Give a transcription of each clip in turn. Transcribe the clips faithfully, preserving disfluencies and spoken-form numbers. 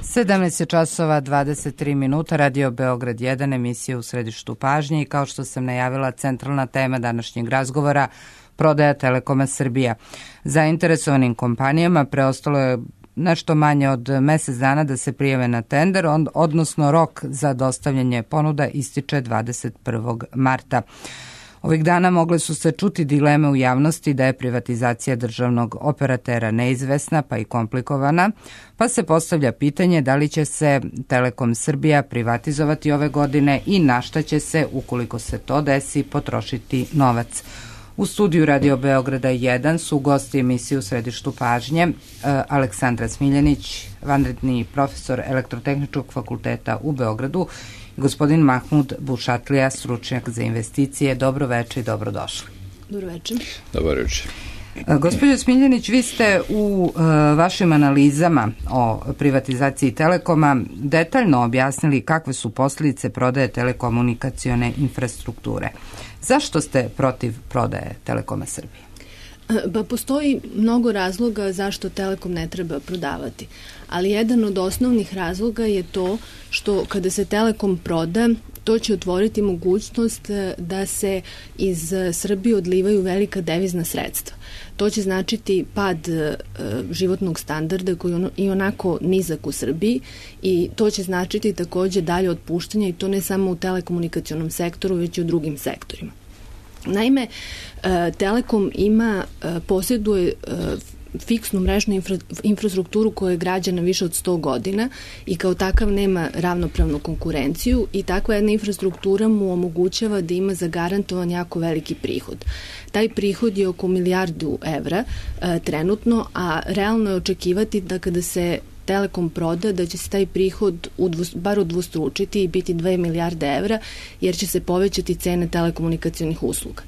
sedamnaest časova dvadeset tri minuta, Radio Beograd jedan, emisija u središtu pažnje i kao što sam najavila, centralna tema današnjeg razgovora, prodaja Telekoma Srbija. Zainteresovanim kompanijama preostalo je nešto manje od mesec dana da se prijave na tender, odnosno rok za dostavljanje ponuda ističe dvadeset prvog marta. Ovih dana mogle su se čuti dileme u javnosti da je privatizacija državnog operatera neizvesna pa i komplikovana, pa se postavlja pitanje da li će se Telekom Srbija privatizovati ove godine i na šta će se, ukoliko se to desi, potrošiti novac. U studiju Radio Beograda jedan su gosti emisije u središtu pažnje Aleksandra Smiljanić, vanredni profesor Elektrotehničkog fakulteta u Beogradu, i gospodin Mahmud Bušatlija, stručnjak za investicije. Dobro veče i dobrodošli. Dobro veče. Dobro veče. Gospođo Smiljanić, vi ste u uh, vašim analizama o privatizaciji Telekoma detaljno objasnili kakve su posljedice prodaje telekomunikacione infrastrukture. Zašto ste protiv prodaje Telekoma Srbije? Pa postoji mnogo razloga zašto Telekom ne treba prodavati, ali jedan od osnovnih razloga je to što kada se Telekom proda, to će otvoriti mogućnost da se iz Srbije odlivaju velika devizna sredstva. To će značiti pad e, životnog standarda koji je i onako nizak u Srbiji i to će značiti takođe dalje otpuštanje i to ne samo u telekomunikacionom sektoru, već i u drugim sektorima. Naime, Telekom ima, posjeduje fiksnu mrežnu infra, infrastrukturu koja je građana više od sto godina i kao takav nema ravnopravnu konkurenciju i takva jedna infrastruktura mu omogućava da ima zagarantovan jako veliki prihod. Taj prihod je oko milijardu evra e, trenutno, a realno je očekivati da kada se Telekom proda, da će se taj prihod udvos, bar udvostručiti i biti dve milijarde evra, jer će se povećati cene telekomunikacionih usluga.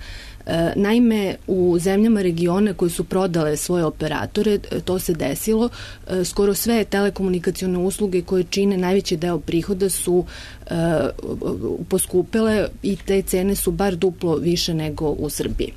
E, naime, u zemljama regiona koji su prodale svoje operatore, to se desilo, e, skoro sve telekomunikacione usluge koje čine najveći deo prihoda su e, poskupele i te cene su bar duplo više nego u Srbiji.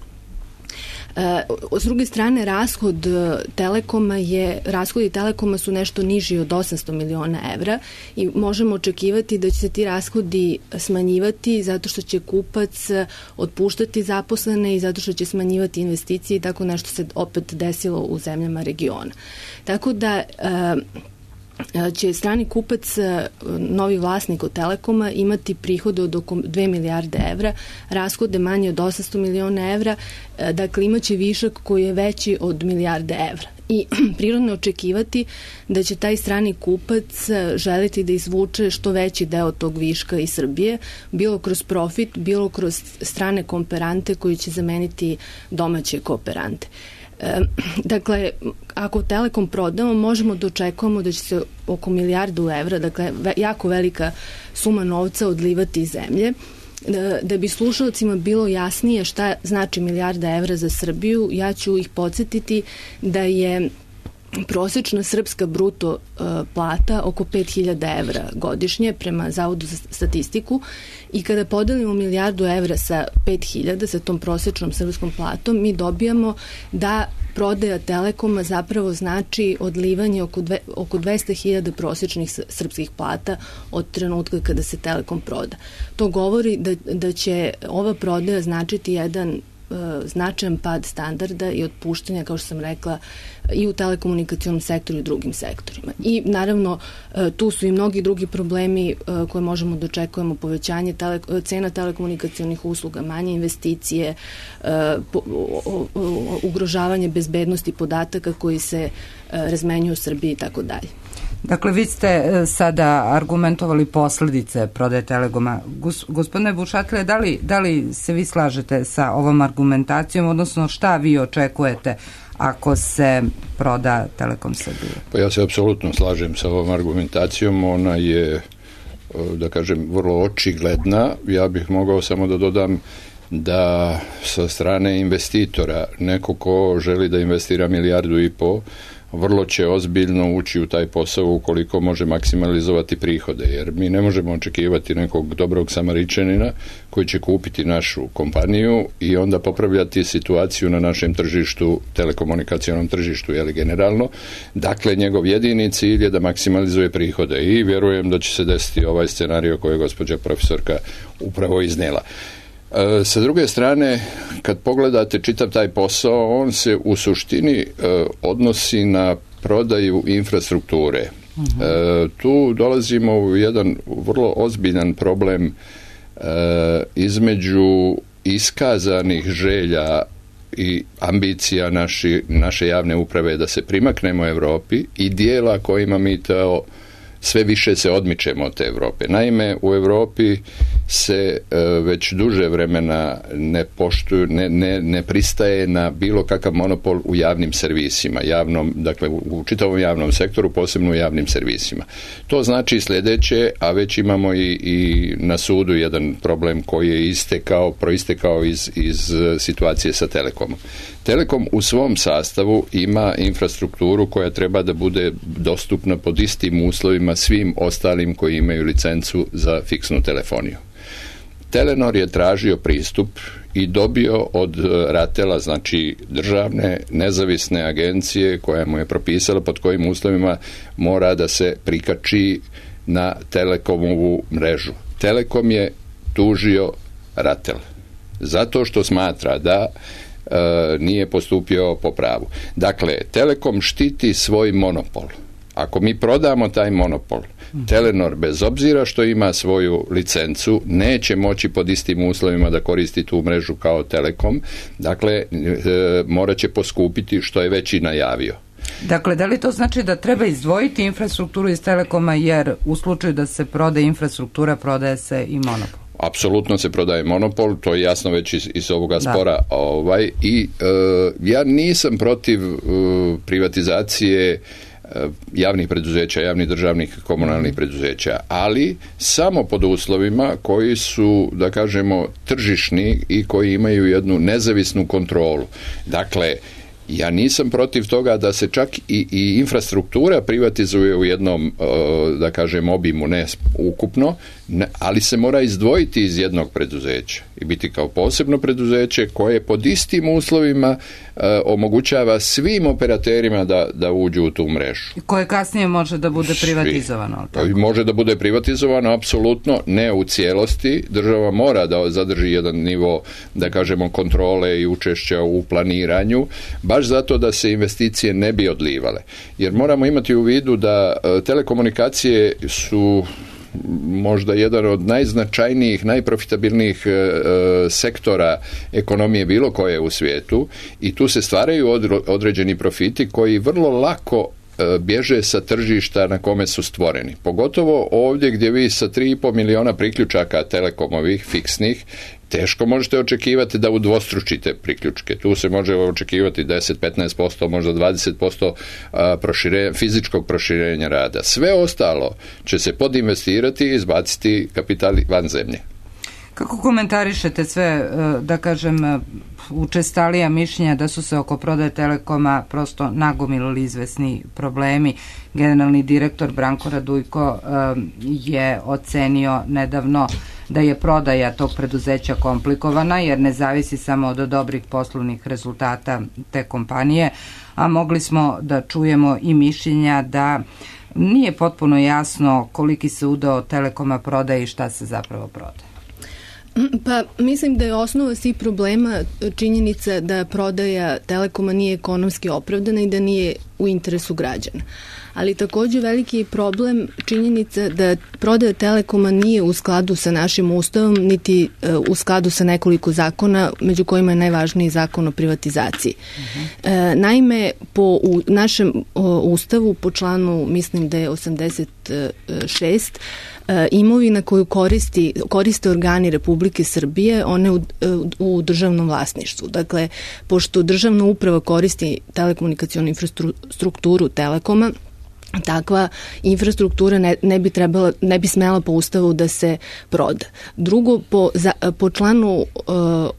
S druge strane, rashod Telekoma je, rashodi Telekoma su nešto niži od osamsto miliona evra i možemo očekivati da će se ti rashodi smanjivati zato što će kupac otpuštati zaposlene i zato što će smanjivati investicije i tako nešto se opet desilo u zemljama regiona. Tako da će strani kupac, novi vlasnik od Telekoma, imati prihode od oko dve milijarde evra, rashode manje od osamsto miliona evra, dakle imaće višak koji je veći od milijarde evra. I prirodno očekivati da će taj strani kupac želiti da izvuče što veći deo tog viška iz Srbije, bilo kroz profit, bilo kroz strane kooperante koji će zameniti domaće kooperante. E, dakle, ako Telekom prodamo, možemo da očekujemo da će se oko milijardu evra, dakle jako velika suma novca odlivati iz zemlje. Da, da bi slušalcima bilo jasnije šta znači milijarda evra za Srbiju, ja ću ih podsjetiti da je prosečna srpska bruto uh, plata oko pet hiljada evra godišnje prema Zavodu za statistiku i kada podelimo milijardu evra sa pet hiljada, sa tom prosečnom srpskom platom, mi dobijamo da prodaja Telekoma zapravo znači odlivanje oko, dve, oko dvesta hiljada prosečnih srpskih plata od trenutka kada se Telekom proda. To govori da, da će ova prodaja značiti jedan značajan pad standarda i otpuštanja, kao što sam rekla, i u telekomunikacionom sektoru i u drugim sektorima. I naravno tu su i mnogi drugi problemi koje možemo da očekujemo, povećanje tele, cena telekomunikacionih usluga, manje investicije, ugrožavanje bezbednosti podataka koji se razmenjuju u Srbiji i tako dalje. Dakle, vi ste sada argumentovali posljedice prodaje Telekoma. Gospodine Bušatlija, da li, da li se vi slažete sa ovom argumentacijom, odnosno šta vi očekujete ako se proda Telekom Srbije? Pa ja se apsolutno slažem sa ovom argumentacijom. Ona je, da kažem, vrlo očigledna. Ja bih mogao samo da dodam da sa strane investitora, neko ko želi da investira milijardu i po, vrlo će ozbiljno ući u taj posao ukoliko može maksimalizovati prihode, jer mi ne možemo očekivati nekog dobrog Samaričanina koji će kupiti našu kompaniju i onda popravljati situaciju na našem tržištu, telekomunikacionom tržištu, jeli generalno. Dakle, njegov jedini cilj je da maksimalizuje prihode i vjerujem da će se desiti ovaj scenario koji je gospođa profesorka upravo iznijela. E, sa druge strane, kad pogledate čitav taj posao, on se u suštini e, odnosi na prodaju infrastrukture. Uh-huh. E, tu dolazimo u jedan vrlo ozbiljan problem e, između iskazanih želja i ambicija naši, naše javne uprave da se primaknemo Europi i dijela kojima mi to sve više se odmičemo od te Europe. Naime, u Europi se e, već duže vremena ne poštuju, ne, ne, ne pristaje na bilo kakav monopol u javnim servisima, javnom, dakle u, u čitavom javnom sektoru, posebno u javnim servisima. To znači sljedeće, a već imamo i, i na sudu jedan problem koji je istekao, proistekao iz, iz situacije sa Telekomom. Telekom u svom sastavu ima infrastrukturu koja treba da bude dostupna pod istim uslovima svim ostalim koji imaju licencu za fiksnu telefoniju. Telenor je tražio pristup i dobio od Ratela, znači državne nezavisne agencije koja mu je propisala pod kojim uslovima mora da se prikači na Telekomovu mrežu. Telekom je tužio Ratel zato što smatra da e, nije postupio po pravu. Dakle, Telekom štiti svoj monopol. Ako mi prodamo taj monopol, Telenor, bez obzira što ima svoju licencu, neće moći pod istim uslovima da koristi tu mrežu kao Telekom. Dakle, e, morat će poskupiti, što je već i najavio. Dakle, da li to znači da treba izdvojiti infrastrukturu iz Telekoma, jer u slučaju da se prodaje infrastruktura, prodaje se i monopol? Apsolutno se prodaje monopol, to je jasno već iz, iz ovoga spora. Ovaj, I e, ja nisam protiv e, privatizacije javnih preduzeća, javnih državnih komunalnih preduzeća, ali samo pod uslovima koji su, da kažemo, tržišni i koji imaju jednu nezavisnu kontrolu. Dakle, ja nisam protiv toga da se čak i, i infrastruktura privatizuje u jednom, da kažem, obimu, ne ukupno, ne, ali se mora izdvojiti iz jednog preduzeća i biti kao posebno preduzeće koje pod istim uslovima e, omogućava svim operaterima da, da uđu u tu mrežu. I koje kasnije može da bude privatizovano? Svi. Može da bude privatizovano, apsolutno, ne u cijelosti. Država mora da zadrži jedan nivo, da kažemo, kontrole i učešća u planiranju, baš zato da se investicije ne bi odlivale. Jer moramo imati u vidu da e, telekomunikacije su možda jedan od najznačajnijih, najprofitabilnijih e, sektora ekonomije bilo koje u svijetu i tu se stvaraju određeni profiti koji vrlo lako e, bježe sa tržišta na kome su stvoreni. Pogotovo ovdje gdje vi sa tri i pol miliona priključaka telekomovih, fiksnih, teško možete očekivati da udvostručite priključke. Tu se može očekivati deset do petnaest posto, možda dvadeset posto proširenja, fizičkog proširenja rada. Sve ostalo će se podinvestirati i izbaciti kapital van zemlje. Kako komentarišete sve, da kažem, učestalija mišljenja da su se oko prodaje Telekoma prosto nagomilili izvesni problemi? Generalni direktor Branko Radujko je ocenio nedavno da je prodaja tog preduzeća komplikovana jer ne zavisi samo od dobrih poslovnih rezultata te kompanije, a mogli smo da čujemo i mišljenja da nije potpuno jasno koliki se udeo Telekoma prodaje i šta se zapravo prodaje. Pa mislim da je osnova svih problema činjenica da prodaja Telekoma nije ekonomski opravdana i da nije u interesu građana. Ali također veliki je problem činjenica da prodaja Telekoma nije u skladu sa našim ustavom, niti u skladu sa nekoliko zakona, među kojima je najvažniji zakon o privatizaciji. Uh-huh. E, naime, po u našem o, ustavu, po članu, mislim da je osamdeset šest, e, imovina koju koristi, koriste organi Republike Srbije, one u, u državnom vlasništvu. Dakle, pošto državna uprava koristi telekomunikacionu infrastrukturu Telekoma, takva infrastruktura ne, ne bi trebala, ne bi smela po ustavu da se proda. Drugo, po, za, po članu uh,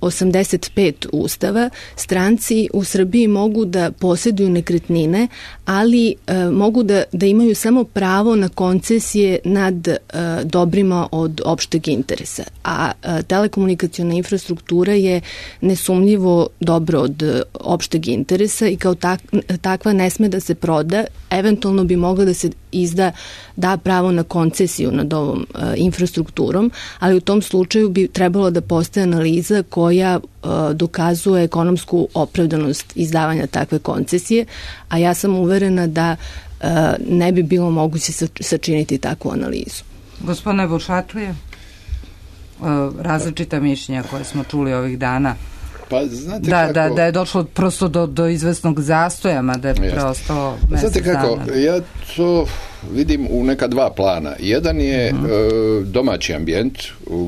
osamdeset pet ustava, stranci u Srbiji mogu da posjeduju nekretnine, ali uh, mogu da, da imaju samo pravo na koncesije nad uh, dobrima od opšteg interesa. A uh, telekomunikaciona infrastruktura je nesumnjivo dobro od uh, opšteg interesa i kao tak, takva ne sme da se proda, eventualno bi mogla da se izda, da pravo na koncesiju nad ovom uh, infrastrukturom, ali u tom slučaju bi trebalo da postoje analiza koja uh, dokazuje ekonomsku opravdanost izdavanja takve koncesije, a ja sam uverena da uh, ne bi bilo moguće sačiniti takvu analizu. Gospodine Bušatlije, uh, različita mišljenja koje smo čuli ovih dana. Pa, znate da, kako... da, da je došlo prosto do, do izvesnog zastoja, mada je preostalo mesec Znate kako, dana. ja to vidim u neka dva plana. Jedan je uh-huh. e, domaći ambijent,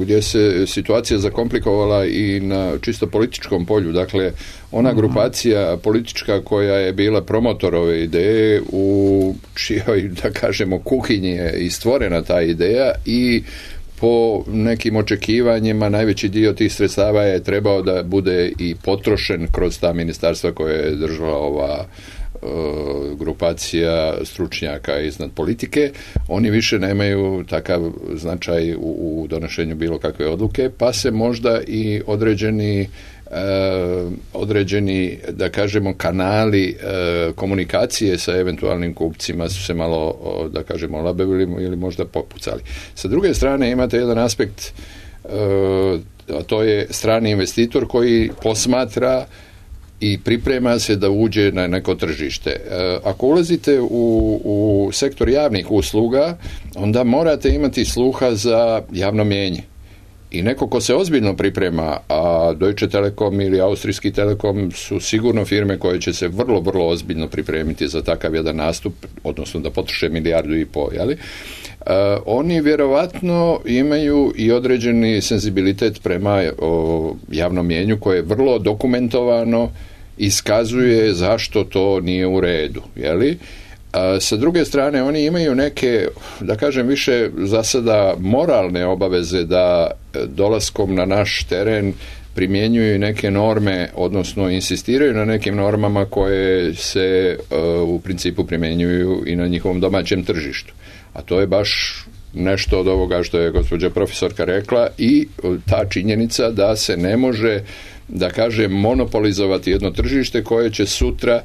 gdje se situacija zakomplikovala i na čisto političkom polju. Dakle, ona uh-huh. grupacija politička koja je bila promotor ove ideje, u čijoj, da kažemo, kuhinji je i stvorena ta ideja i po nekim očekivanjima najveći dio tih sredstava je trebao da bude i potrošen kroz ta ministarstva koje je držala ova e, grupacija stručnjaka iznad politike. Oni više nemaju takav značaj u, u donošenju bilo kakve odluke, pa se možda i određeni Uh, određeni, da kažemo, kanali uh, komunikacije sa eventualnim kupcima su se malo, uh, da kažemo, olabavili ili možda popucali. Sa druge strane imate jedan aspekt, uh, a to je strani investitor koji posmatra i priprema se da uđe na neko tržište. Uh, ako ulazite u, u sektor javnih usluga, onda morate imati sluha za javno mnijenje. I neko ko se ozbiljno priprema, a Deutsche Telekom ili Austrijski Telekom su sigurno firme koje će se vrlo, vrlo ozbiljno pripremiti za takav jedan nastup, odnosno da potroše milijardu i po, jeli? Uh, oni vjerovatno imaju i određeni senzibilitet prema o, javnom mnijenju koje je vrlo dokumentovano, iskazuje zašto to nije u redu, jeli? A sa druge strane, oni imaju neke, da kažem, više za sada moralne obaveze da dolaskom na naš teren primjenjuju neke norme, odnosno insistiraju na nekim normama koje se uh, u principu primjenjuju i na njihovom domaćem tržištu. A to je baš nešto od ovoga što je gospođa profesorka rekla i ta činjenica da se ne može, da kažem, monopolizovati jedno tržište koje će sutra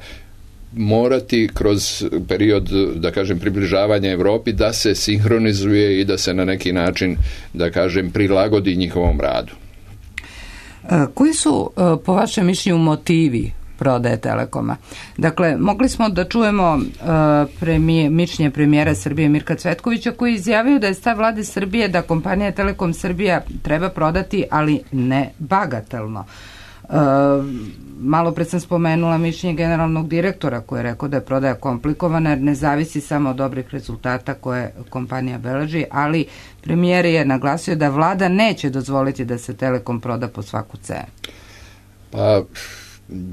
morati kroz period, da kažem, približavanja Europi da se sinhronizuje i da se na neki način, da kažem, prilagodi njihovom radu. Koji su, po vašem mišljenju, motivi prodaje Telekoma? Dakle, mogli smo da čujemo uh, premije, mišljenje premijera Srbije Mirka Cvetkovića koji izjavio da je stav vlade Srbije da kompanija Telekom Srbija treba prodati, ali ne bagatelno. Uh, malo pred sam spomenula mišljenje generalnog direktora koji je rekao da je prodaja komplikovana jer ne zavisi samo od dobrih rezultata koje kompanija beleži, ali premijer je naglasio da vlada neće dozvoliti da se Telekom proda po svaku cenu. Pa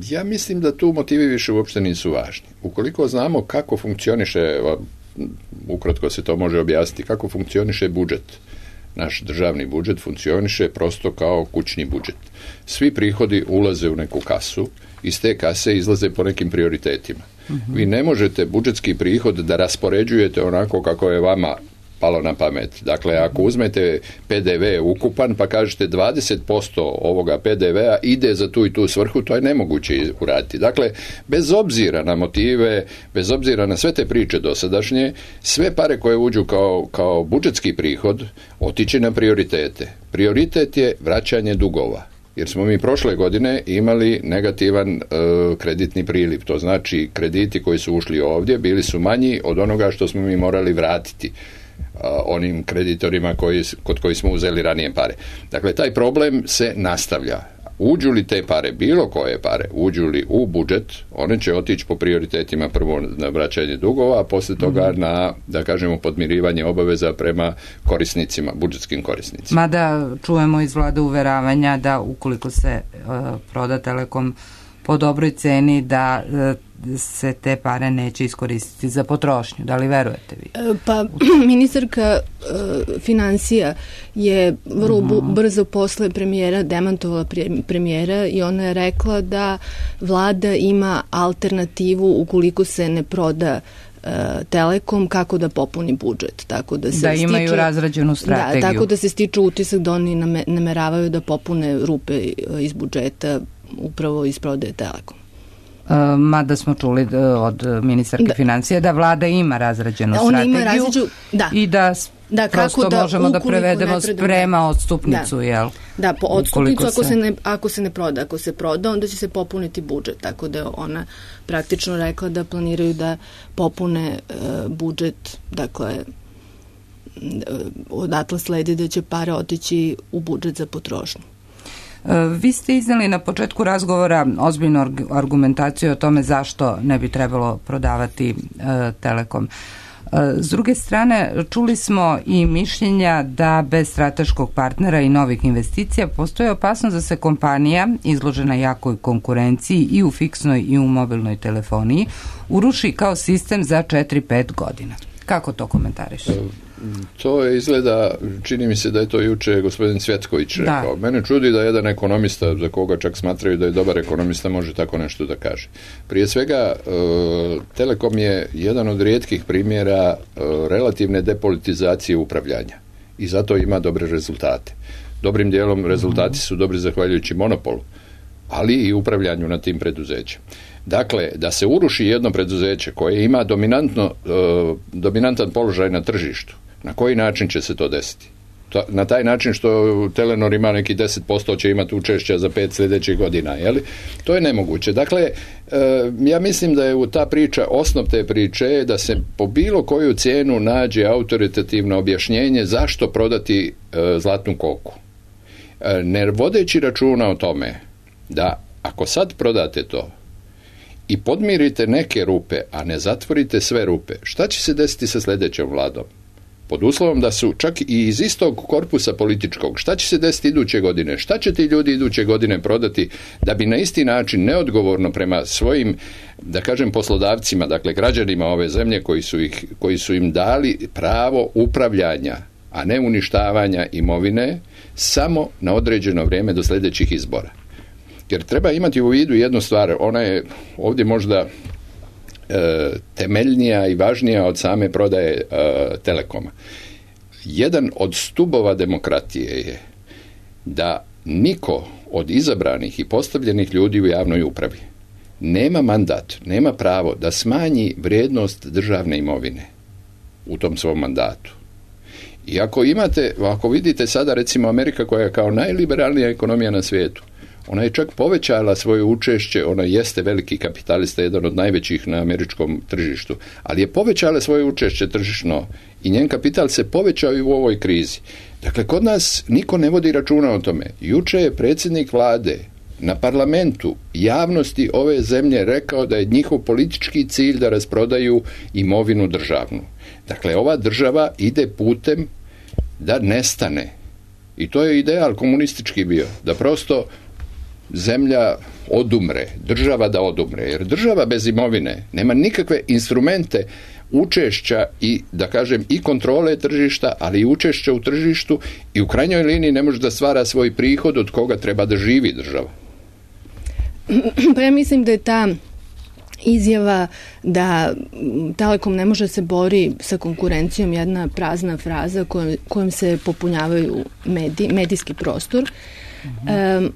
ja mislim da tu motivi više uopšte nisu važni. Ukoliko znamo kako funkcioniše, ukratko se to može objasniti, kako funkcioniše budžet, naš državni budžet funkcioniše prosto kao kućni budžet. Svi prihodi ulaze u neku kasu, iz te kase izlaze po nekim prioritetima. Uh-huh. Vi ne možete budžetski prihod da raspoređujete onako kako je vama palo na pamet. Dakle, ako uzmete P D V ukupan pa kažete dvadeset posto ovoga P D V-a ide za tu i tu svrhu, to je nemoguće uraditi. Dakle, bez obzira na motive, bez obzira na sve te priče dosadašnje, sve pare koje uđu kao, kao budžetski prihod otiče na prioritete. Prioritet je vraćanje dugova. Jer smo mi prošle godine imali negativan e, kreditni priliv. To znači krediti koji su ušli ovdje bili su manji od onoga što smo mi morali vratiti onim kreditorima koji, kod koji smo uzeli ranije pare. Dakle, taj problem se nastavlja. Uđu li te pare, bilo koje pare, uđu li u budžet, one će otići po prioritetima prvo na vraćanje dugova, a poslije toga na, da kažemo, podmirivanje obaveza prema korisnicima, budžetskim korisnicima. Mada čujemo iz vlade uveravanja da ukoliko se uh, proda Telekom po dobroj ceni, da uh, se te pare neće iskoristiti za potrošnju. Da li verujete vi? Pa ministarka uh, financija je vrlo uh-huh. brzo posle premijera demantovala premijera i ona je rekla da vlada ima alternativu ukoliko se ne proda Telekom, kako da popuni budžet. Tako da, se da imaju stiče, razrađenu strategiju. Da, tako da se stiče utisak da oni name, nameravaju da popune rupe iz budžeta upravo iz prodaje Telekom. Uh, mada smo čuli od ministarke da. financija da vlada ima razrađenu da, strategiju ima različu, da. i da, da prosto da, možemo da prevedemo sprema odstupnicu, da. jel? Da, po odstupnicu ako se... se ne, ako se ne proda, ako se proda, onda će se popuniti budžet, tako da je ona praktično rekla da planiraju da popune uh, budžet, dakle odatle sledi da će pare otići u budžet za potrošnju. Vi ste iznali na početku razgovora ozbiljnu argumentaciju o tome zašto ne bi trebalo prodavati e, Telekom. E, s druge strane, čuli smo i mišljenja da bez strateškog partnera i novih investicija postoji opasnost da se kompanija, izložena jakoj konkurenciji i u fiksnoj i u mobilnoj telefoniji, uruši kao sistem za četiri pet godina. Kako to komentariš? To je izgleda, čini mi se da je to juče gospodin Cvjetković rekao. Da. Mene čudi da jedan ekonomista, za koga čak smatraju da je dobar ekonomista, može tako nešto da kaže. Prije svega, Telekom je jedan od rijetkih primjera relativne depolitizacije upravljanja i zato ima dobre rezultate. Dobrim dijelom rezultati su dobri zahvaljujući monopolu, ali i upravljanju na tim preduzećem. Dakle, da se uruši jedno preduzeće koje ima dominantno, uh, dominantan položaj na tržištu, na koji način će se to desiti? To, na taj način što Telenor ima neki deset posto će imati učešća za pet sljedećih godina, jeli? To je nemoguće. Dakle, uh, ja mislim da je u ta priča, osnov te priče da se po bilo koju cijenu nađe autoritativno objašnjenje zašto prodati uh, zlatnu koku. Uh, ne vodeći računa o tome da ako sad prodate to i podmirite neke rupe, a ne zatvorite sve rupe, šta će se desiti sa sljedećom vladom? Pod uslovom da su čak i iz istog korpusa političkog, šta će se desiti iduće godine? Šta će ti ljudi iduće godine prodati da bi na isti način neodgovorno prema svojim, da kažem, poslodavcima, dakle građanima ove zemlje koji su, ih, koji su im dali pravo upravljanja, a ne uništavanja imovine, samo na određeno vrijeme do sljedećih izbora. Jer treba imati u vidu jednu stvar, ona je ovdje možda e, temeljnija i važnija od same prodaje e, Telekoma. Jedan od stubova demokratije je da niko od izabranih i postavljenih ljudi u javnoj upravi nema mandat, nema pravo da smanji vrijednost državne imovine u tom svom mandatu. I ako imate, ako vidite sada recimo Amerika koja je kao najliberalnija ekonomija na svijetu, ona je čak povećala svoje učešće, ona jeste veliki kapitalista, jedan od najvećih na američkom tržištu, ali je povećala svoje učešće tržišno i njen kapital se povećao i u ovoj krizi. Dakle, kod nas niko ne vodi računa o tome. Juče je predsjednik vlade na parlamentu javnosti ove zemlje rekao da je njihov politički cilj da rasprodaju imovinu državnu. Dakle, ova država ide putem da nestane. I to je ideal komunistički bio, da prosto zemlja odumre, država da odumre, jer država bez imovine nema nikakve instrumente učešća i, da kažem, i kontrole tržišta, ali i učešća u tržištu i u krajnjoj liniji ne može da stvara svoj prihod od koga treba da živi država. Pa ja mislim da je ta izjava da Telekom ne može se bori sa konkurencijom jedna prazna fraza kojom, kojom se popunjavaju medij, medijski prostor. Mm-hmm. E,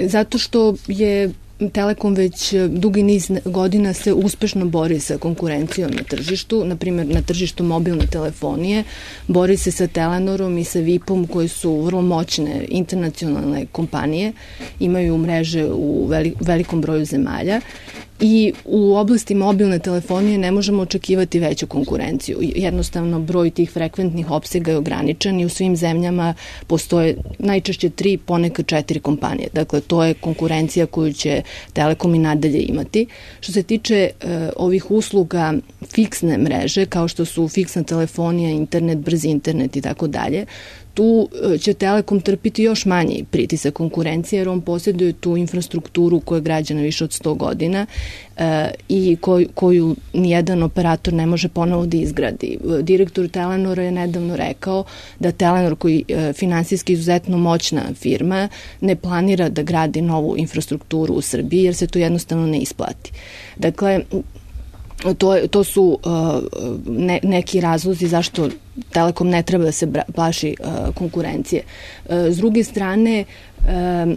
zato što je Telekom već dugi niz godina se uspešno bori sa konkurencijom na tržištu, na primjer na tržištu mobilne telefonije, bori se sa Telenorom i sa V I P-om koji su vrlo moćne internacionalne kompanije, imaju mreže u velikom broju zemalja i u oblasti mobilne telefonije ne možemo očekivati veću konkurenciju. Jednostavno broj tih frekventnih opsega je ograničen i u svim zemljama postoje najčešće tri, ponekad četiri kompanije. Dakle, to je konkurencija koju će Telekom i nadalje imati. Što se tiče uh, ovih usluga fiksne mreže, kao što su fiksna telefonija, internet, brzi internet i tako dalje, tu će Telekom trpiti još manji pritisak konkurencije, jer on posjeduje tu infrastrukturu koja je građana više od sto godina e, i koju, koju nijedan operator ne može ponovo da izgradi. Direktor Telenora je nedavno rekao da Telenor, koji je finansijski izuzetno moćna firma, ne planira da gradi novu infrastrukturu u Srbiji, jer se to jednostavno ne isplati. Dakle, To, to su uh, ne, neki razlozi zašto Telekom ne treba da se bra, plaši uh, konkurencije. Uh, s druge strane, uh,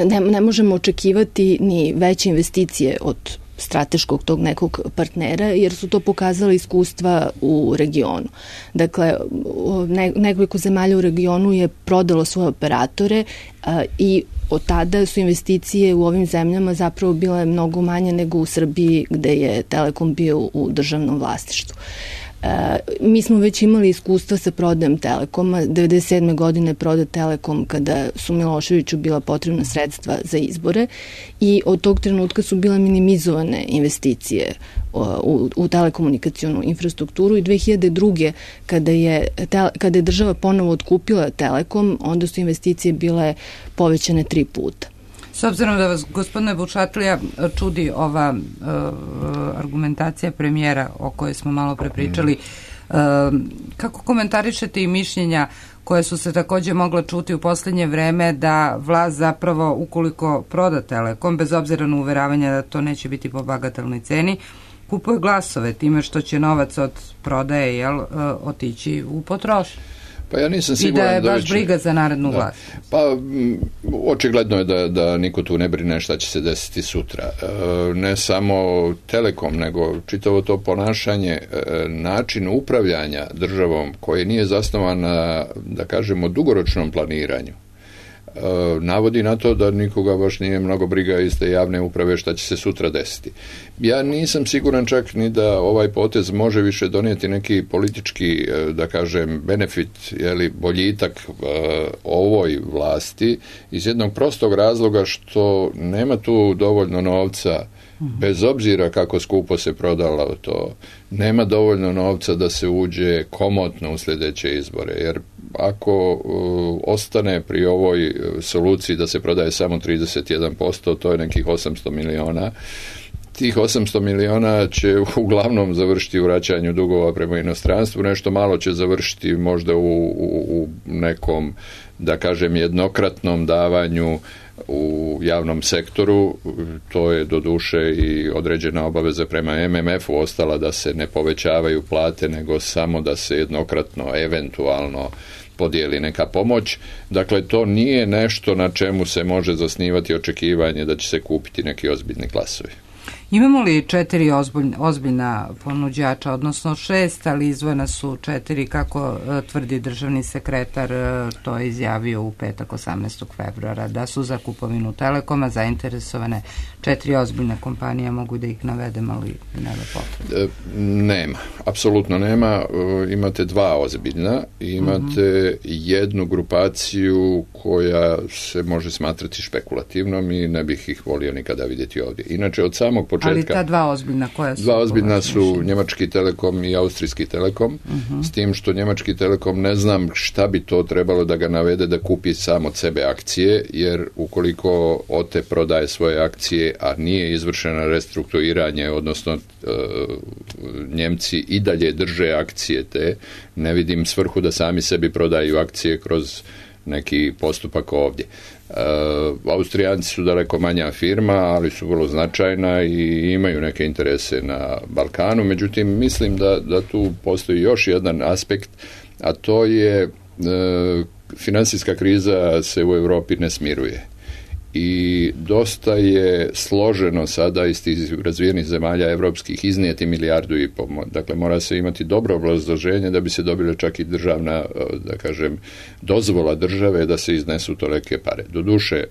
ne, ne možemo očekivati ni veće investicije od strateškog tog nekog partnera, jer su to pokazali iskustva u regionu. Dakle, ne, nekoliko zemalja u regionu je prodalo svoje operatore a, i od tada su investicije u ovim zemljama zapravo bile mnogo manje nego u Srbiji, gde je Telekom bio u državnom vlasništvu. E, mi smo već imali iskustva sa prodajem Telekoma. devedeset sedme godine prodat Telekom kada su Miloševiću bila potrebna sredstva za izbore i od tog trenutka su bile minimizovane investicije u, u telekomunikacionu infrastrukturu i dve hiljade druge. kada je, kada je država ponovo otkupila Telekom, onda su investicije bile povećane tri puta. S obzirom da vas, gospodine Vučatlija, čudi ova uh, argumentacija premijera o kojoj smo malo prepričali, uh, kako komentarišete i mišljenja koje su se takođe mogla čuti u poslednje vreme da vlast zapravo, ukoliko proda Telekom, bez obzira na uveravanja da to neće biti po bagatelnoj ceni, kupuje glasove time što će novac od prodaje jel, uh, otići u potrošnju? Pa ja nisam siguran I da je baš da će, briga za narednu da, vlast. Pa m, očigledno je da, da niko tu ne brine šta će se desiti sutra. E, ne samo Telekom, nego čitavo to ponašanje, e, način upravljanja državom koji nije zasnovan na, da kažemo, dugoročnom planiranju. Navodi na to da nikoga baš nije mnogo briga iz te javne uprave šta će se sutra desiti. Ja nisam siguran čak ni da ovaj potez može više donijeti neki politički, da kažem, benefit, jeli, boljitak uh, ovoj vlasti iz jednog prostog razloga što nema tu dovoljno novca, bez obzira kako skupo se prodalo to, nema dovoljno novca da se uđe komotno u sljedeće izbore, jer ako uh, ostane pri ovoj soluciji da se prodaje samo trideset jedan posto, to je nekih osamsto miliona, tih osamsto miliona će uglavnom završiti u vraćanju dugova prema inostranstvu, nešto malo će završiti možda u, u, u nekom, da kažem, jednokratnom davanju u javnom sektoru. To je doduše i određena obaveza prema M M F-u ostala da se ne povećavaju plate, nego samo da se jednokratno, eventualno podijeli neka pomoć. Dakle, to nije nešto na čemu se može zasnivati očekivanje da će se kupiti neki ozbiljni glasovi. Imamo li četiri ozbiljna, ozbiljna ponuđača, odnosno šest, ali izvojena su četiri, kako uh, tvrdi državni sekretar, uh, to je izjavio u petak osamnaestog februara, da su za kupovinu Telekoma zainteresovane četiri ozbiljne kompanije, mogu da ih navedem, ali nema potrebe. Nema, apsolutno nema. Imate dva ozbiljna, imate uh-huh. jednu grupaciju koja se može smatrati špekulativnom i ne bih ih volio nikada vidjeti ovdje. Inače, od samog početka... Ali ta dva ozbiljna koja su? Dva ozbiljna su Njemački Telekom i Austrijski Telekom, uh-huh. s tim što Njemački Telekom ne znam šta bi to trebalo da ga navede da kupi sam od sebe akcije, jer ukoliko O T E prodaje svoje akcije, a nije izvršeno restrukturiranje, odnosno e, Njemci i dalje drže akcije te, ne vidim svrhu da sami sebi prodaju akcije kroz neki postupak ovdje. Uh, Austrijanci su daleko manja firma, ali su vrlo značajna i imaju neke interese na Balkanu, međutim mislim da, da tu postoji još jedan aspekt, a to je uh, financijska kriza se u Europi ne smiruje i dosta je složeno sada iz tih razvijenih zemalja evropskih iznijeti milijardu i pol. Dakle, mora se imati dobro obrazloženje da bi se dobile čak i državna, da kažem, dozvola države da se iznesu tolike pare. Doduše,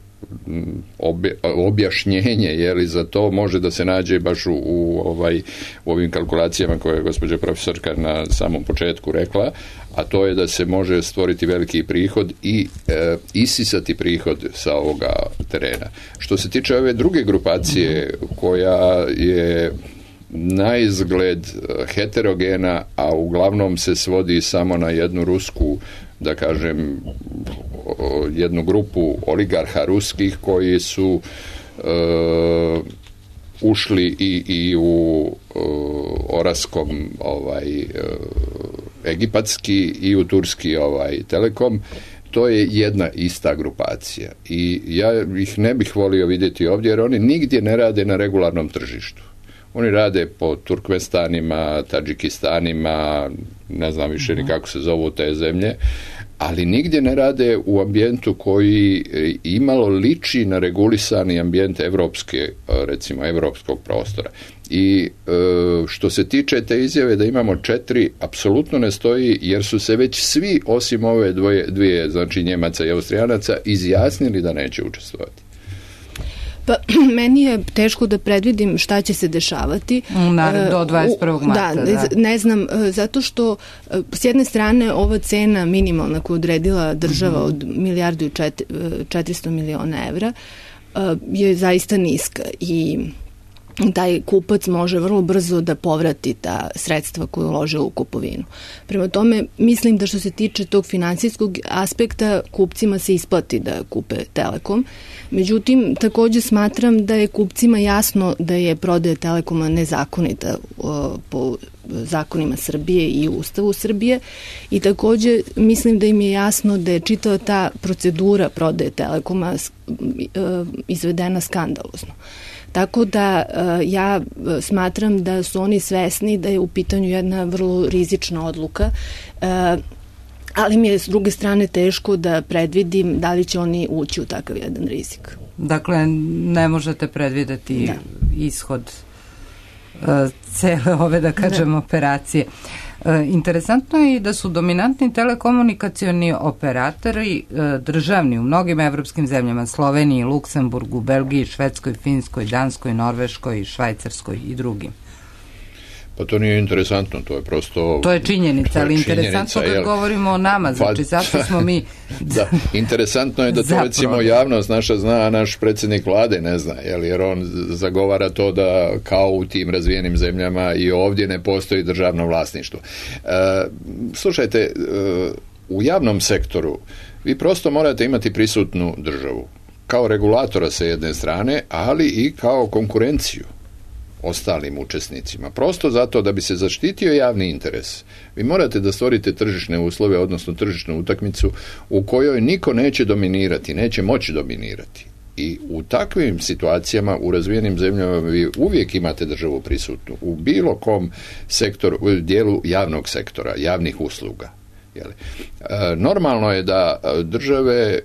objašnjenje je li za to može da se nađe baš u, u, ovaj, u ovim kalkulacijama koje je gospođa profesorka na samom početku rekla, a to je da se može stvoriti veliki prihod i e, isisati prihod sa ovoga terena. Što se tiče ove druge grupacije koja je na izgled heterogena, a uglavnom se svodi samo na jednu rusku, da kažem, jednu grupu oligarha ruskih koji su uh, ušli i, i u uh, oraskom ovaj, uh, egipatski i u turski ovaj, telekom. To je jedna ista grupacija i ja ih ne bih volio vidjeti ovdje jer oni nigdje ne rade na regularnom tržištu. Oni rade po Turkmestanima, Tadžikistanima, ne znam više ni kako se zovu te zemlje, ali nigdje ne rade u ambijentu koji imalo liči na regulisani ambijent evropske, recimo evropskog prostora. I što se tiče te izjave da imamo četiri, apsolutno ne stoji, jer su se već svi, osim ove dvoje, dvije, znači Njemaca i Austrijanaca, izjasnili da neće učestvovati. Pa, meni je teško da predvidim šta će se dešavati. Na, do dvadeset prvog marta. Da, da, ne znam, zato što s jedne strane ova cena minimalna koju odredila država mm-hmm. od milijardu i četiristo miliona evra je zaista niska i taj kupac može vrlo brzo da povrati ta sredstva koje ulože u kupovinu. Prema tome, mislim da što se tiče tog finansijskog aspekta, kupcima se isplati da kupe Telekom. Međutim, također smatram da je kupcima jasno da je prodaja Telekoma nezakonita o, po zakonima Srbije i Ustavu Srbije i također mislim da im je jasno da je čitava ta procedura prodaje Telekoma izvedena skandalozno. Tako da ja smatram da su oni svesni da je u pitanju jedna vrlo rizična odluka, ali mi je s druge strane teško da predvidim da li će oni ući u takav jedan rizik. Dakle, ne možete predvideti da. ishod uh, cele ove, da kažem, da. operacije. Uh, interesantno je i da su dominantni telekomunikacioni operatori uh, državni u mnogim evropskim zemljama, Sloveniji, Luksemburgu, Belgiji, Švedskoj, Finskoj, Danskoj, Norveškoj, Švajcarskoj i drugim. Pa to nije interesantno, to je prosto... To je činjenica, ali interesantno kad jel, govorimo o nama, znači pa, zašto smo mi... Da, interesantno je da to recimo javnost naša zna, a naš predsjednik vlade ne zna, jel, jer on zagovara to da kao u tim razvijenim zemljama i ovdje ne postoji državno vlasništvo. E, slušajte, e, u javnom sektoru vi prosto morate imati prisutnu državu, kao regulatora sa jedne strane, ali i kao konkurenciju ostalim učesnicima. Prosto zato da bi se zaštitio javni interes. Vi morate da stvorite tržišne uslove, odnosno tržišnu utakmicu u kojoj niko neće dominirati, neće moći dominirati. I u takvim situacijama u razvijenim zemljama vi uvijek imate državu prisutnu u bilo kom sektoru, u dijelu javnog sektora, javnih usluga. Jeli. E, normalno je da države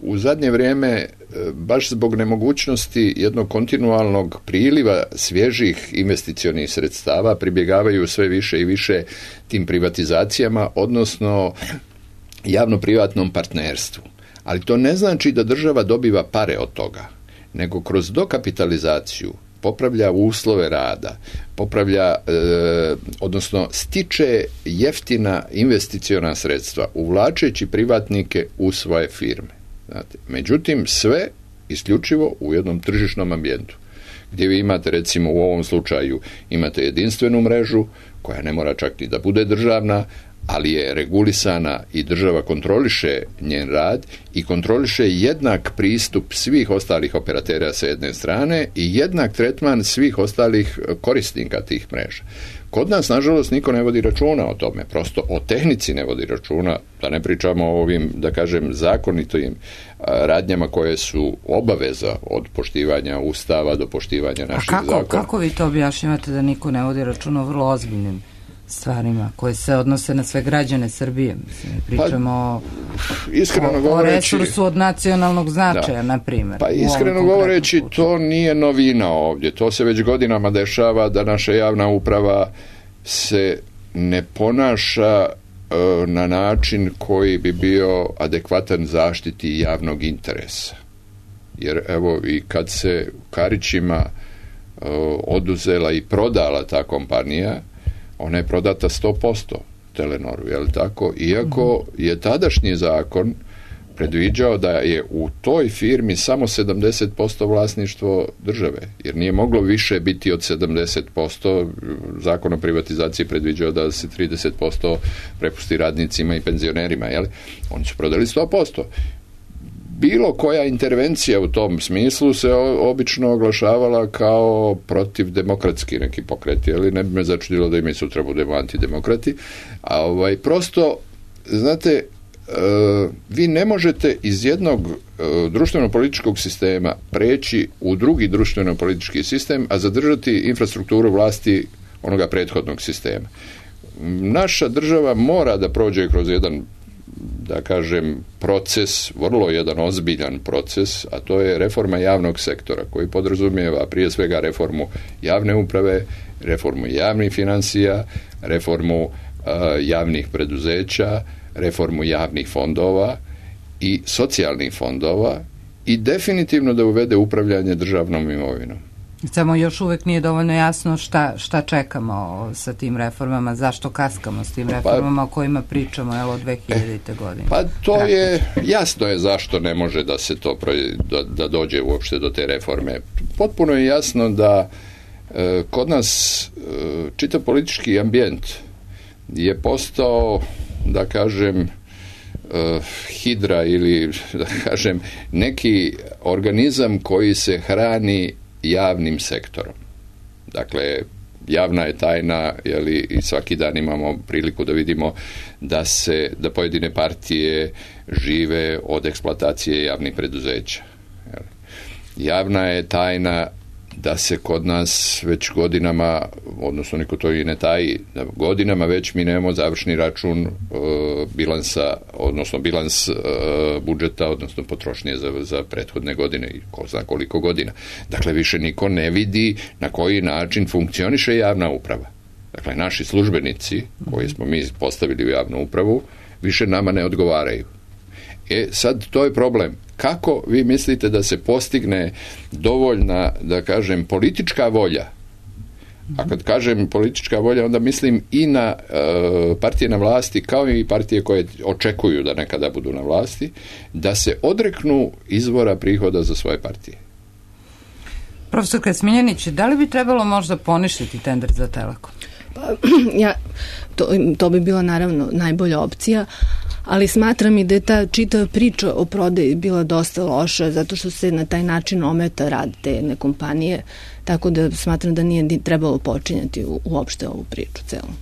u zadnje vrijeme baš zbog nemogućnosti jednog kontinualnog priliva svježih investicionih sredstava pribjegavaju sve više i više tim privatizacijama, odnosno javno-privatnom partnerstvu. Ali to ne znači da država dobiva pare od toga, nego kroz dokapitalizaciju popravlja uslove rada, popravlja, e, odnosno stiče jeftina investiciona sredstva, uvlačeći privatnike u svoje firme. Znate, međutim, sve isključivo u jednom tržišnom ambijentu, gdje vi imate, recimo u ovom slučaju, imate jedinstvenu mrežu, koja ne mora čak ni da bude državna, ali je regulisana i država kontroliše njen rad i kontroliše jednak pristup svih ostalih operatera sa jedne strane i jednak tretman svih ostalih korisnika tih mreža. Kod nas, nažalost, niko ne vodi računa o tome, prosto o tehnici ne vodi računa, da ne pričamo o ovim, da kažem, zakonitim radnjama koje su obaveza od poštivanja Ustava do poštivanja naših zakona. A kako, zakona. kako vi to objašnjavate da niko ne vodi računa o vrlo ozbiljnim stvarima koje se odnose na sve građane Srbije? Mislim, pričamo pa, iskreno o, govoreći, o resursu od nacionalnog značaja, na primjer. Pa iskreno govoreći, to nije novina ovdje. To se već godinama dešava da naša javna uprava se ne ponaša e, na način koji bi bio adekvatan zaštiti javnog interesa. Jer evo i kad se Karićima e, oduzela i prodala ta kompanija, ona je prodata sto posto Telenoru, je li tako? Iako je tadašnji zakon predviđao da je u toj firmi samo sedamdeset posto vlasništvo države, jer nije moglo više biti od sedamdeset posto. Zakon o privatizaciji predviđao da se trideset posto prepusti radnicima i penzionerima, jel? Oni su prodali sto posto. Bilo koja intervencija u tom smislu se obično oglašavala kao protiv demokratski neki pokreti, ali ne bi me začudilo da i sutra budemo antidemokrati. A ovaj, prosto, znate, Uh, vi ne možete iz jednog uh, društveno-političkog sistema preći u drugi društveno-politički sistem, a zadržati infrastrukturu vlasti onoga prethodnog sistema. Naša država mora da prođe kroz jedan, da kažem, proces, vrlo jedan ozbiljan proces, a to je reforma javnog sektora, koji podrazumijeva prije svega reformu javne uprave, reformu javnih financija, reformu uh, javnih preduzeća, reformu javnih fondova i socijalnih fondova i definitivno da uvede upravljanje državnom imovinom. Samo još uvek nije dovoljno jasno šta, šta čekamo sa tim reformama, zašto kaskamo s tim reformama pa, o kojima pričamo evo, od dve hiljadite. godine. Pa to Praktično. je, jasno je zašto ne može da se to, da, da dođe uopšte do te reforme. Potpuno je jasno da e, kod nas e, čitav politički ambijent je postao, da kažem, uh, hidra ili, da kažem, neki organizam koji se hrani javnim sektorom. Dakle, javna je tajna, jeli, i svaki dan imamo priliku da vidimo da se, da pojedine partije žive od eksploatacije javnih preduzeća. Jeli. Javna je tajna da se kod nas već godinama, odnosno niko to i ne taji, da godinama već mi nemamo završni račun e, bilansa, odnosno bilans e, budžeta, odnosno potrošnje za, za prethodne godine i ko zna koliko godina. Dakle, više niko ne vidi na koji način funkcioniše javna uprava. Dakle, naši službenici, koji smo mi postavili u javnu upravu, više nama ne odgovaraju. E, sad, to je problem. Kako vi mislite da se postigne dovoljna, da kažem, politička volja? A kad kažem politička volja, onda mislim i na e, partije na vlasti, kao i partije koje očekuju da nekada budu na vlasti, da se odreknu izvora prihoda za svoje partije. Profesor Smiljanić, da li bi trebalo možda poništiti tender za Telekom? Pa, ja, to, to bi bila naravno najbolja opcija, ali smatram i da je ta čitava priča o prodaji bila dosta loša, zato što se na taj način ometa rad te jedne kompanije, tako da smatram da nije trebalo počinjati u, uopšte ovu priču celu.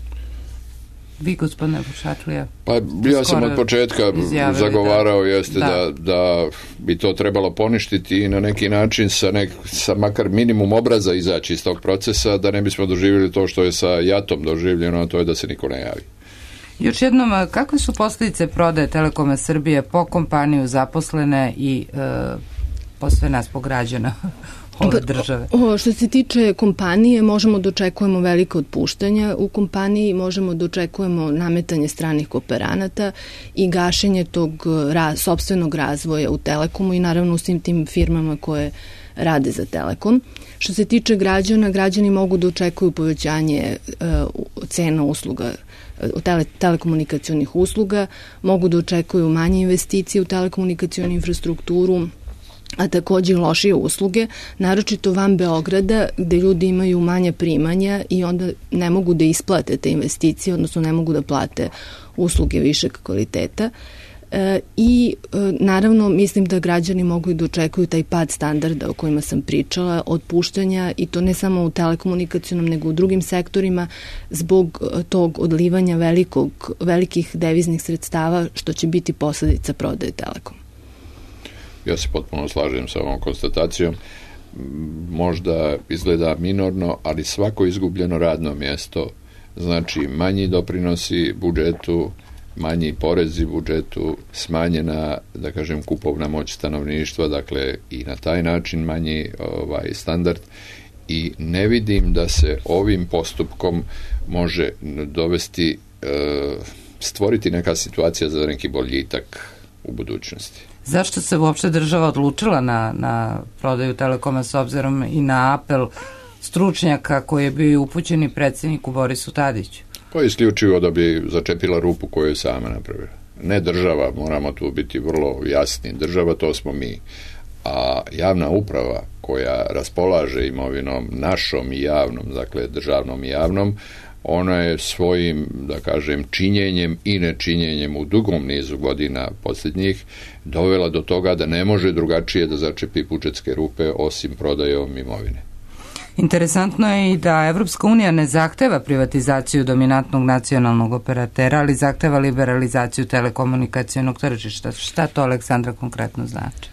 Vi, gospodine Vušatlija? Pa ja sam od početka zagovarao da, jeste da. Da, da bi to trebalo poništiti i na neki način sa, nek, sa makar minimum obraza izaći iz tog procesa, da ne bismo doživjeli to što je sa Jatom doživljeno, a to je da se niko ne javi. Još jednom, kakve su posljedice prodaje Telekoma Srbije po kompaniju, zaposlene i e, po sve nas, po građana ove države? O, što se tiče kompanije, možemo da očekujemo velike otpuštanja u kompaniji, možemo da očekujemo nametanje stranih kooperanata i gašenje tog ra, sopstvenog razvoja u Telekomu i naravno u svim tim firmama koje rade za Telekom. Što se tiče građana, građani mogu da očekuju povećanje uh, cena usluga, tele, telekomunikacionih usluga, mogu da očekuju manje investicije u telekomunikacionu infrastrukturu, a takođe i lošije usluge, naročito van Beograda, gde ljudi imaju manja primanja i onda ne mogu da isplate te investicije, odnosno ne mogu da plate usluge višeg kvaliteta. E, I e, naravno mislim da građani mogu i da očekuju taj pad standarda o kojima sam pričala, otpuštanja, i to ne samo u telekomunikacionom nego u drugim sektorima zbog tog odlivanja velikog, velikih deviznih sredstava što će biti posledica prodaje Telekom. Ja se potpuno slažem sa ovom konstatacijom. Možda izgleda minorno, ali svako izgubljeno radno mjesto znači manji doprinosi budžetu, manji porezi budžetu, smanjena, da kažem, kupovna moć stanovništva, dakle i na taj način manji ovaj standard, i ne vidim da se ovim postupkom može dovesti, e, stvoriti neka situacija za neki boljitak u budućnosti. Zašto se uopšte država odlučila na, na prodaju Telekoma s obzirom i na apel stručnjaka koji je bio upućeni predsjedniku Borisu Tadiću? Pa isključivo da bi začepila rupu koju je sama napravila. ne država, moramo tu biti vrlo jasni, država to smo mi, a javna uprava koja raspolaže imovinom našom i javnom, dakle državnom i javnom, ona je svojim, da kažem, činjenjem i nečinjenjem u dugom nizu godina posljednjih dovela do toga da ne može drugačije da začepi budžetske rupe osim prodajom imovine. Interesantno je i da Evropska unija ne zahteva privatizaciju dominantnog nacionalnog operatera, ali zahteva liberalizaciju telekomunikacionog tržišta. Šta to, Aleksandra, konkretno znači?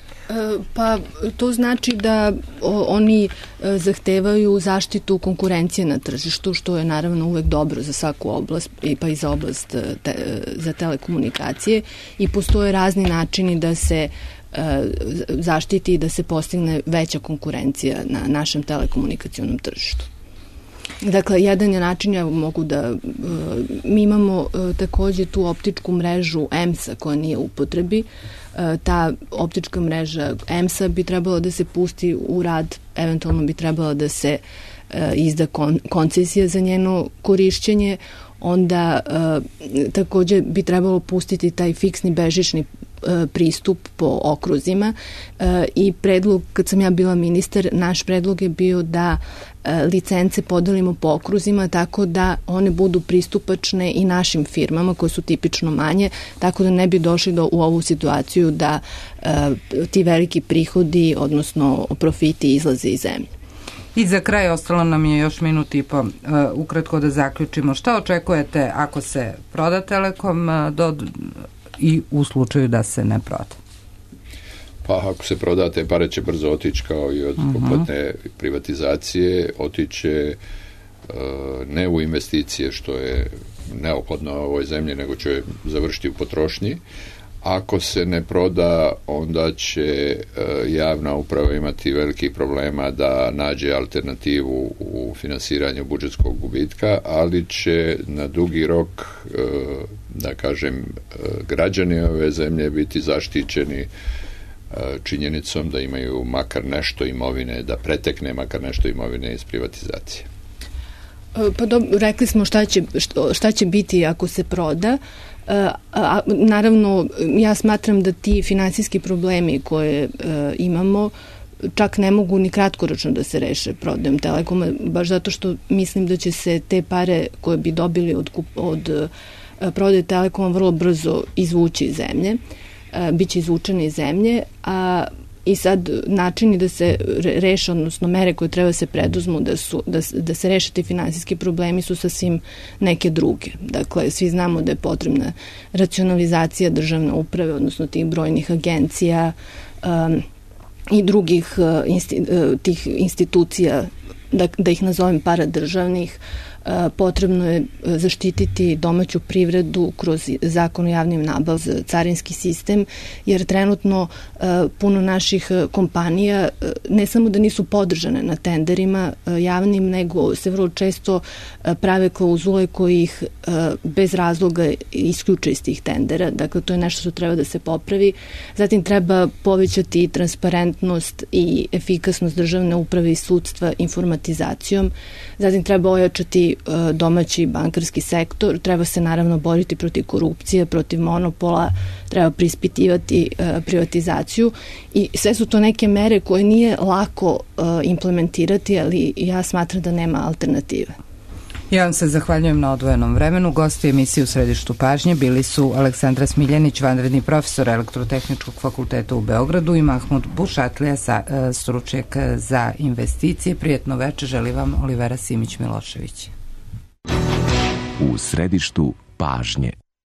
Pa to znači da o, oni e, zahtevaju zaštitu konkurencije na tržištu, što je naravno uvek dobro za svaku oblast, pa i za oblast te, za telekomunikacije, i postoje razni načini da se e, zaštiti i da se postigne veća konkurencija na našem telekomunikacionom tržištu. Dakle, jedan je način, ja mogu da, mi imamo takođe tu optičku mrežu E M S-a koja nije u upotrebi. Ta optička mreža E M S-a bi trebalo da se pusti u rad, eventualno bi trebalo da se izda kon, koncesija za njeno korišćenje, onda takođe bi trebalo pustiti taj fiksni bežični pristup po okruzima, i predlog, kad sam ja bila ministar, naš predlog je bio da licence podelimo po okruzima tako da one budu pristupačne i našim firmama koje su tipično manje, tako da ne bi došli do, u ovu situaciju da ti veliki prihodi, odnosno profiti, izlaze iz zemlje. I za kraj ostalo nam je još minut i po. Uh, ukratko da zaključimo. Šta očekujete ako se proda Telekom uh, do, i u slučaju da se ne proda? Pa ako se proda, te pare će brzo otići kao i od uh-huh. kompletne privatizacije, otiće uh, ne u investicije, što je neophodno u ovoj zemlji, nego će završiti u potrošnji. Ako se ne proda, onda će uh, javna uprava imati velikih problema da nađe alternativu u finansiranju budžetskog gubitka, ali će na dugi rok, uh, da kažem, uh, građani ove zemlje biti zaštićeni uh, činjenicom da imaju makar nešto imovine, da pretekne makar nešto imovine iz privatizacije. Pa dobro, rekli smo šta će, šta će biti ako se proda. A, a, naravno, ja smatram da ti finansijski problemi koje e, imamo čak ne mogu ni kratkoročno da se reše prodajom Telekoma, baš zato što mislim da će se te pare koje bi dobili od, od e, prodaje Telekoma vrlo brzo izvući iz zemlje, e, biće izvučene iz zemlje, a i sad načini da se reše, odnosno mere koje treba se preduzmu da, su, da, da se reše ti finansijski problemi su sasvim neke druge. Dakle, svi znamo da je potrebna racionalizacija državne uprave, odnosno tih brojnih agencija um, i drugih uh, insti, uh, tih institucija, da, da ih nazovem paradržavnih. Potrebno je zaštititi domaću privredu kroz zakon o javnim nabavama, carinski sistem, jer trenutno puno naših kompanija ne samo da nisu podržane na tenderima javnim, nego se vrlo često prave klauzule koji ih bez razloga isključe iz tih tendera. Dakle, to je nešto što treba da se popravi. Zatim treba povećati transparentnost i efikasnost državne uprave i sudstva informatizacijom. Zatim treba ojačati domaći bankarski sektor, treba se naravno boriti protiv korupcije, protiv monopola, treba preispitivati privatizaciju, i sve su to neke mere koje nije lako implementirati, ali ja smatram da nema alternative. Ja vam se zahvaljujem na odvojenom vremenu. Gosti emisije U središtu pažnje bili su Aleksandra Smiljanić, vanredni profesor Elektrotehničkog fakulteta u Beogradu, i Mahmud Bušatlija, stručnjak za investicije. Prijetno veče želi vam Olivera Simić-Milošević. U središtu pažnje.